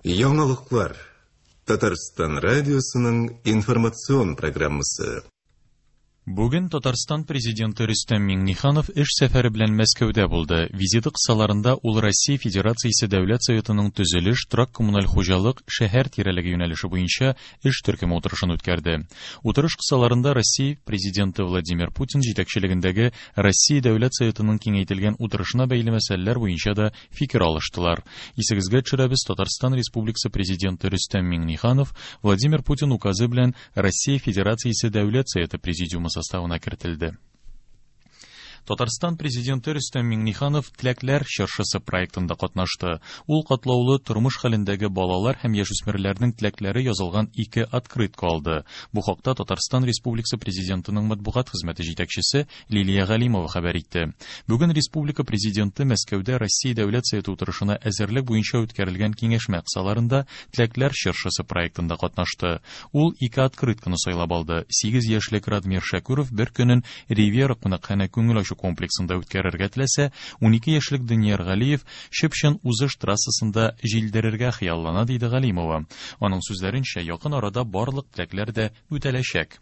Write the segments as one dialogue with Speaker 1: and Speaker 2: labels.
Speaker 1: Яңалыклар. Татарстан радиосының информацион программасы.
Speaker 2: Бүген Татарстан Президенты Рөстәм Миңнеханов эш сәфәре белән Мәскәүдә булды. Визиты кысаларында ул Россия Федерациясе Дәүләт Советының төзелеш, торак-коммуналь хуҗалык, шәһәр тирәлеге юнәлеше буенча эш төркеме утырышын үткәрде. Утырыш кысаларында Россия Президенты Владимир Путин җитәкчелегендәге Россия Дәүләт Советының киңәйтелгән утырышына бәйле мәсьәләләр буенча да фикер алыштылар. Исегезгә төшерәбез, Татарстан Республикасы Президенты Рөстәм Миңнеханов Владимир Путин указы белән Россия Федерациясе Дәүләт Советы Президиумы составына кертелде. Татарстан Президенты Рөстәм Миңнеханов Теләкләр чыршысы проектында катнашты. Ул катлаулы тормыш хәлендәге балалар һәм яшүсмерләрнең теләкләре язылган ике открытка алды. Бу хакта Татарстан Республикасы Президентының матбугат хезмәте җитәкчесе Лилия Галимова хәбәр итте. Бүген республика Президенты Мәскәүдә Россия Дәүләт Советы утырышына әзерлек буенча үткәрелгән киңәшмә кысаларында Теләкләр чыршысы проектында катнашты. Ул ике открытканы сайлап алды. 8 яшьлек Радмир Шәкүров бер көнен Ривьера кунакханә күңел ачу комплексында үткәрергә теләсә, 12 яшьлек Данияр Галиев чып-чын узыш трассасында җилдерергә хыяллана, диде Галимова. Аның сүзләренчә, якын арада барлык теләкләр дә үтәләчәк.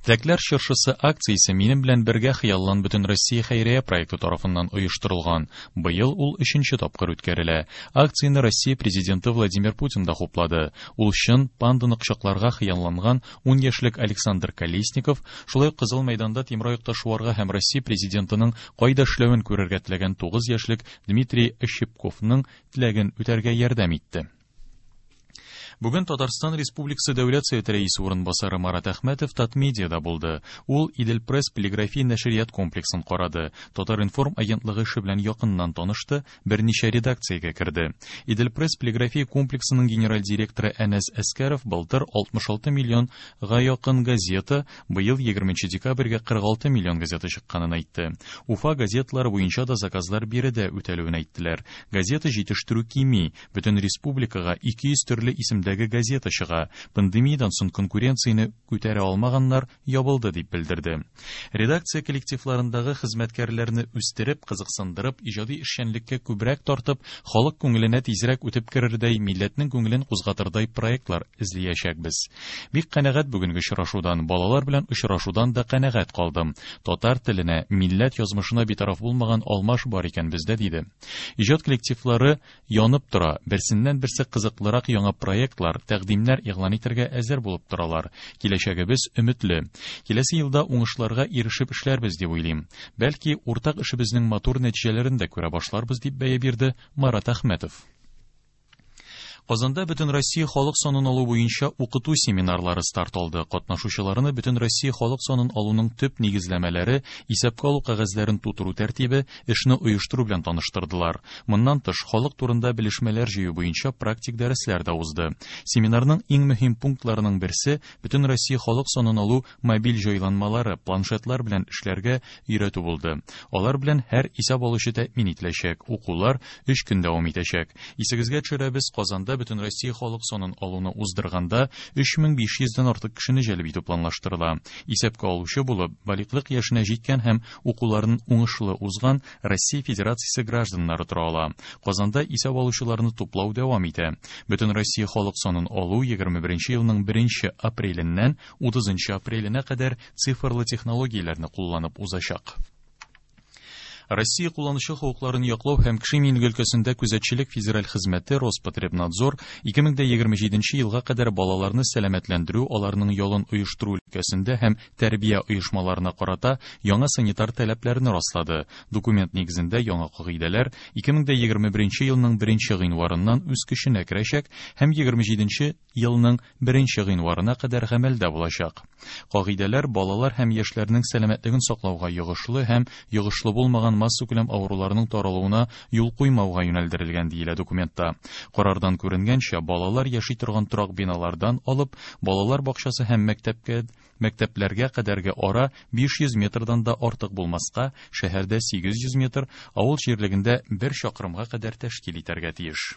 Speaker 2: Теләкләр чыршысы акциясе Минем белән бергә хыяллан Бөтенроссия хәйрия проекты тарафыннан оештырылган. Быел ул өченче тапкыр үткәрелә. Акцияне Россия Президенты Владимир Путин да хуплады. Ул чын панданы кочакларга хыялланган ун яшьлек Александр Колесников, шулай ук Кызыл мәйданда тимераякта шуарга һәм Россия Президентының кайда эшләвен күрергә теләгән 9 яшьлек Дмитрий Ощепковның теләген үтәргә ярдәм итте. Бүген Татарстан Республикасы Дәүләт Советы Рәисе урынбасары Марат Әхмәтов Татмедиада булды. Ул Идел-Пресс полиграфия нәшрият комплексын карады, Татар-информ агентлыгы эше белән якыннан танышты, берничә редакциягә керде. Идел-Пресс полиграфия комплексының генераль директоры Әнәс Әскәров былтыр 66 миллион га якын газета, быел 20 декабрьгә 46 миллион газета чыкканын әйтте. Уфа газеталары буенча да заказлар биредә үтәлүен әйттеләр. Газета җитештерү кими, Бөтен республикага 200 төрле исемдәге газета чыга. Пандемиядән соң конкуренцияне күтәрә алмаганнар ябылды, дип белдерде. Редакция коллективларындагы хезмәткәрләрне үстереп, кызыксындырып, иҗади эшчәнлеккә күбрәк тартып, халык күңеленә тизрәк үтеп керердәй, милләтнең күңелен кузгатырдай проектлар эзлиячәкбез. Бик канәгать бүгенге очрашудан, балалар белән очрашудан да канәгать калдым. Татар теленә, милләт язмышына битараф булмаган алмаш бар икән бездә, диде. Иҗат коллективлары янып тора, берсеннән-берсе кызыклырак яңа проектлар, тәкъдимнәр игълан итәргә әзер булып торалар. Киләчәгебез өметле. Киләсе елда уңышларга ирешеп эшләрбез дип уйлыйм. Бәлки, уртак эшебезнең матур нәтиҗәләрен дә күрә башларбыз, дип бәя бирде Марат Әхмәтов. Казанда Бөтенроссия халык санын алу буенча укыту семинарлары старт алды. Катнашучыларны Бөтенроссия халык санын алуның төп нигезләмәләре, исәпкә алу кәгазьләрен тутыру тәртибе, эшне оештыру белән таныштырдылар. Моннан тыш, халык турында белешмәләр җыю буенча практик дәресләр дә узды. Семинарның иң мөһим пунктларының берсе, Бөтенроссия халык санын алу мобиль җайланмалары, планшетлар белән эшләргә өйрәтү булды. Алар белән һәр исәп алучы тәэмин ителәчәк. Укулар өч көн дәвам итәчәк. Исегезгә төшерәбез, Казанда Бөтенроссия халык санын алуны уздырганда 3500 дән артык кешене җәлеп итү планлаштырыла. Исәпкә алучы булып, балигълык яшенә җиткән һәм укуларын уңышлы узган Россия Федерациясе гражданнары тора ала. Казанда исәп алучыларны туплау дәвам итә. Бөтенроссия халык санын алу 21 елның 1 апреленнән 30 апреленә кадәр цифрлы технологияләрне кулланып узачак. Россия кулланучы хокукларын яклау һәм кеше иминлеге өлкәсендә күзәтчелек федераль хезмәте Роспотребнадзор 2027 елга кадәр балаларны сәламәтләндерү, аларның ялын оештыру өлкәсендә һәм тәрбия оешмаларына карата яңа санитар таләпләрне раслады. Документ нигезендә яңа кагыйдәләр 2021 елның 1 гыйнварыннан үз көченә керәчәк һәм 27 елның 1 гыйнварына кадәр гамәлдә булачак. Кагыйдәләр балалар һәм яшьләрнең сәламәтлеген саклауга йогышлы һәм йогышлы булмаган массакүләм авыруларның таралуына юл куймауга юнәлдерелгән, диелә документта. Карардан күренгәнчә, балалар яши торган торак биналардан алып, балалар бакчасы һәм мәктәпкә мәктәпләргә кадәрге ара 500 метрдан да артык булмаска, шәһәрдә 800 метр, авыл җирлегендә бер чакрымга кадәр тәшкил итәргә тиеш.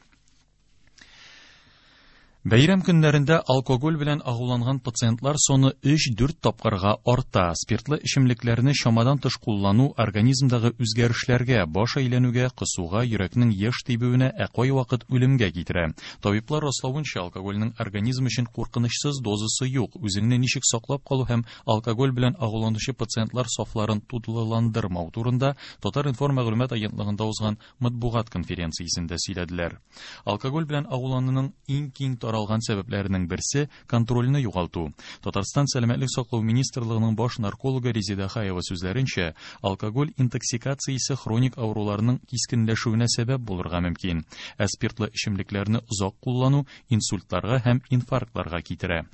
Speaker 2: Бәйрәм көннәрендә алкоголь белән агуланган пациентлар саны 3-4 тапкырга арта. Спиртлы эчемлекләрне чамадан тыш куллану организмдагы үзгәрешләргә, баш әйләнүгә, косуга, йөрәкнең еш тибүенә, ә кайвакыт үлемгә китерә. Табиблар раславынча, алкогольнең организм өчен куркынычсыз дозасы юк. Үзеңне ничек саклап калу һәм алкоголь белән агуланучы пациентлар сафларын тулыландырмау турында Татар-информ мәгълүмат агентлыгында узган матбугат конференциясендә сөйләделәр. Алкоголь белән агулануның иң киң таралган сәбәпләренең берсе контрольне югалту. Татарстан сәламәтлек саклау министрлыгының баш наркологы Резеда Хаева сүзләренчә, алкоголь интоксикациясе хроник авыруларның кискенләшүенә сәбәп булырга мөмкин. Ә спиртлы эчемлекләрне озак куллану инсультларга һәм инфарктларга китерә.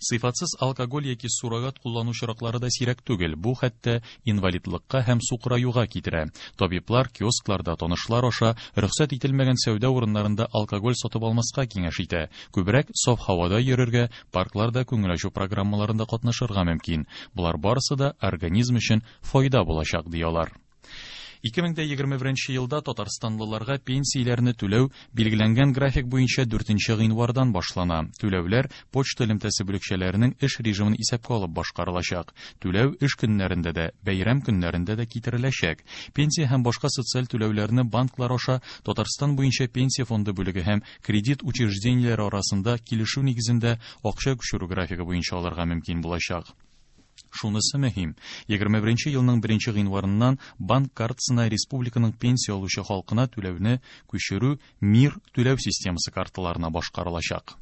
Speaker 2: Сыйфатсыз алкоголь яки суррогат куллану очраклары да сирәк түгел. Бу хәтта инвалидлыкка һәм сукыраюга китерә. Табиблар киоскларда танышлар аша рөхсәт ителмәгән сәүдә урыннарында алкоголь сатып алмаска киңәш итә. Күбрәк саф һавада йөрергә, паркларда күңел ачу программаларында катнашырга мөмкин. Болар барысы да организм өчен файда булачак, ди алар. 2021 елда татарстанлыларга пенсияләрне түләү билгеләнгән график буенча 4 гыйнвардан башлана. Түләүләр почта элемтәсе бүлекчәләренең эш режимын исәпкә алып башкарылачак. Түләү эш көннәрендә дә, бәйрәм көннәрендә дә китереләчәк. Пенсия һәм башка социаль түләүләрне банклар аша Татарстан буенча пенсия фонды бүлеге һәм кредит учреждениеләре арасында килешү нигезендә акча күчерү графигы буенча алырга мөмкин булачак. Шунысы мөһим, 21 елның 1 гыйнварыннан банк картасына республиканың пенсия алучы халкына түләүне күчерү МИР түләү системасы карталарына башкарылачак.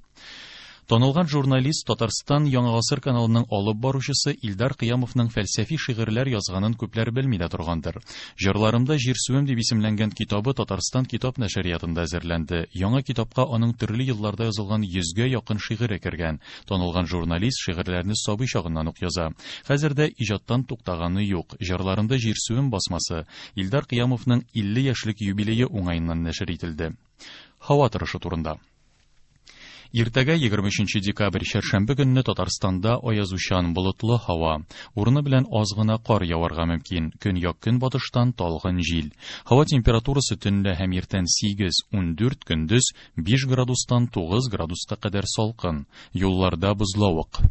Speaker 2: Танылган журналист Татарстан Яңа гасыр каналының алып баручысы Илдар Кыямовның фәлсәфи шигырьләр язганын күпләр белми дә торгандыр. Җырларымда җирсүем дип исемләнгән китабы Татарстан китап нәшриятында әзерләнде. Яңа китапка аның төрле елларда язылган 100гә якын шигыре кергән. Танылган журналист шигырьләрне сабый чагыннан ук яза. Хәзер дә иҗаттан туктаганы юк. Җырларымда җирсүем басмасы Илдар Кыямовның 50 яшьлек юбилее уңаеннан нәшер ителде. Һава торышы турында. Иртәгә 23 декабрь чәршәмбе көнне Татарстанда аязучан болытлы һава. Урыны белән аз гына кар яварга мөмкин. Көньяк-көнбатыштан талгын җил. Һава температурасы төнлә һәм иртән 8-14, көндез 5 градустан 9 градуска кадәр салкын. Юлларда бозлавык.